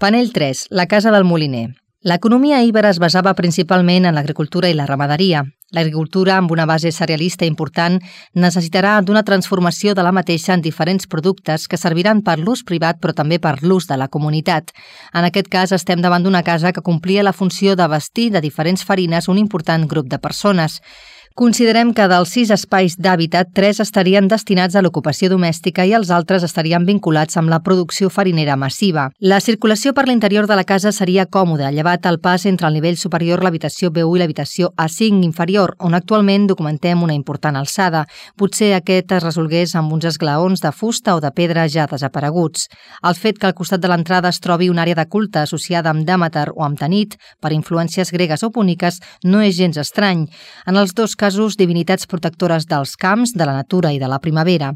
Panell 3, la casa del moliner. L'economia íbera es basava principalment en l'agricultura i la ramaderia. L'agricultura, amb una base cerealista important, necessitarà d'una transformació de la mateixa en diferents productes que serviran per l'ús privat però també per l'ús de la comunitat. En aquest cas, estem davant d'una casa que complia la funció de vestir de diferents farines un important grup de persones. Considerem que dels 6 espais d'hàbitat, 3 estarien destinats a l'ocupació domèstica i els altres estarien vinculats amb la producció farinera massiva. La circulació per l'interior de la casa seria còmoda, llevat el pas entre el nivell superior, l'habitació B1 i l'habitació A5 inferior, on actualment documentem una important alçada. Potser aquest es resolgués amb uns esglaons de fusta o de pedra ja desapareguts. El fet que al costat de l'entrada es trobi una àrea de culte associada amb Dèmeter o amb Tanit, per influències gregues o púniques, no és gens estrany. En els dos casos, divinitats protectores dels camps, de la natura i de la primavera.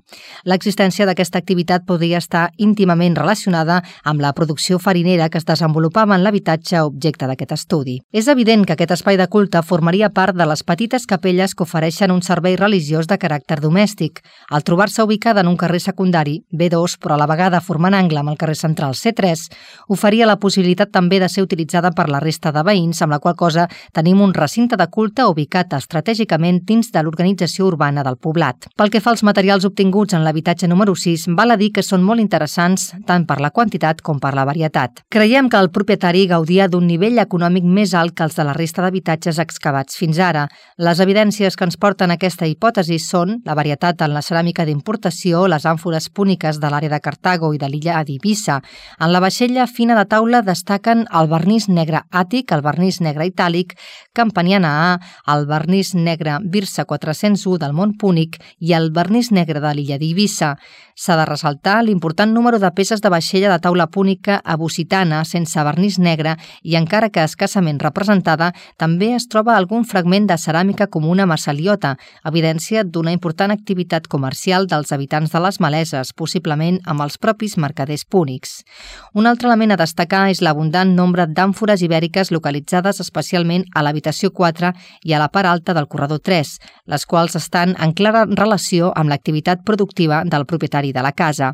L'existència d'aquesta activitat podria estar íntimament relacionada amb la producció farinera que es desenvolupava en l'habitatge objecte d'aquest estudi. És evident que aquest espai de culte formaria part de les petites capelles que ofereixen un servei religiós de caràcter domèstic. Al trobar-se ubicada en un carrer secundari, B2, però a la vegada formant angle amb el carrer central C3, oferia la possibilitat també de ser utilitzada per la resta de veïns, amb la qual cosa tenim un recinte de culte ubicat estratègicament dins de l'organització urbana del poblat. Pel que fa als materials obtinguts en l'habitatge número 6, val a dir que són molt interessants tant per la quantitat com per la varietat. Creiem que el propietari gaudia d'un nivell econòmic més alt que els de la resta d'habitatges excavats fins ara. Les evidències que ens porten a aquesta hipòtesi són la varietat en la ceràmica d'importació, les àmfores púniques de l'àrea de Cartago i de l'illa d'Eivissa. En la vaixella fina de taula destaquen el vernís negre àtic, el vernís negre itàlic, campaniana A, el vernís negre Birsa 401 del Mont Púnic i el vernís negre de l'illa d'Eivissa. S'ha de ressaltar l'important número de peces de vaixella de taula púnica abusitana sense vernís negre i, encara que escassament representada, també es troba algun fragment de ceràmica comuna massaliota, evidència d'una important activitat comercial dels habitants de les Maleses, possiblement amb els propis mercaders púnics. Un altre element a destacar és l'abundant nombre d'àmfores ibèriques localitzades especialment a l'habitació 4 i a la part alta del corredor 3, les quals estan en clara relació amb l'activitat productiva del propietari de la casa.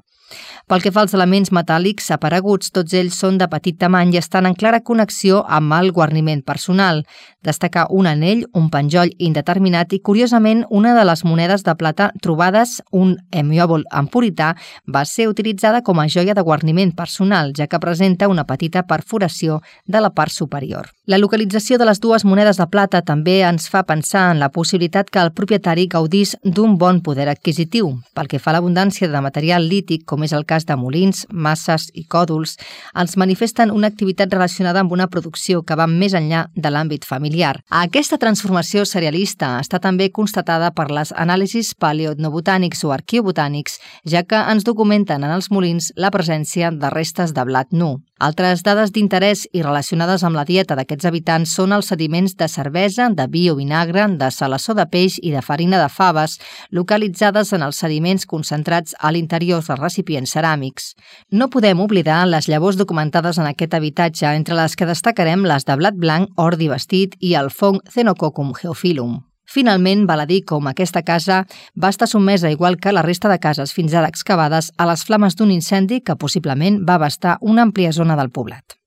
Pel que fa als elements metàl·lics apareguts, tots ells són de petit tamany i estan en clara connexió amb el guarniment personal. Destacar un anell, un penjoll indeterminat i, curiosament, una de les monedes de plata trobades, un hemiòbol empurità, va ser utilitzada com a joia de guarniment personal, ja que presenta una petita perforació de la part superior. La localització de les dues monedes de plata també ens fa pensar en la possibilitat que el propietari gaudís d'un bon poder adquisitiu. Pel que fa a l'abundància de material lític, com és el cas de molins, masses i còdols, ens manifesten una activitat relacionada amb una producció que va més enllà de l'àmbit familiar. Aquesta transformació cerealista està també constatada per les anàlisis paleoetnobotànics o arqueobotànics, ja que ens documenten en els molins la presència de restes de blat nu. Altres dades d'interès i relacionades amb la dieta d'aquests habitants són els sediments de cervesa, de vi o vinagre, de salassó de peix i de farina de faves, localitzades en els sediments concentrats a l'interior dels recipients ceràmics. No podem oblidar les llavors documentades en aquest habitatge, entre les que destacarem les de blat blanc, ordi vestit i el fong Xenococcum geophyllum. Finalment, val a dir com aquesta casa va estar sotmesa, igual que la resta de cases fins ara excavades, a les flames d'un incendi que possiblement va abastar una àmplia zona del poblat.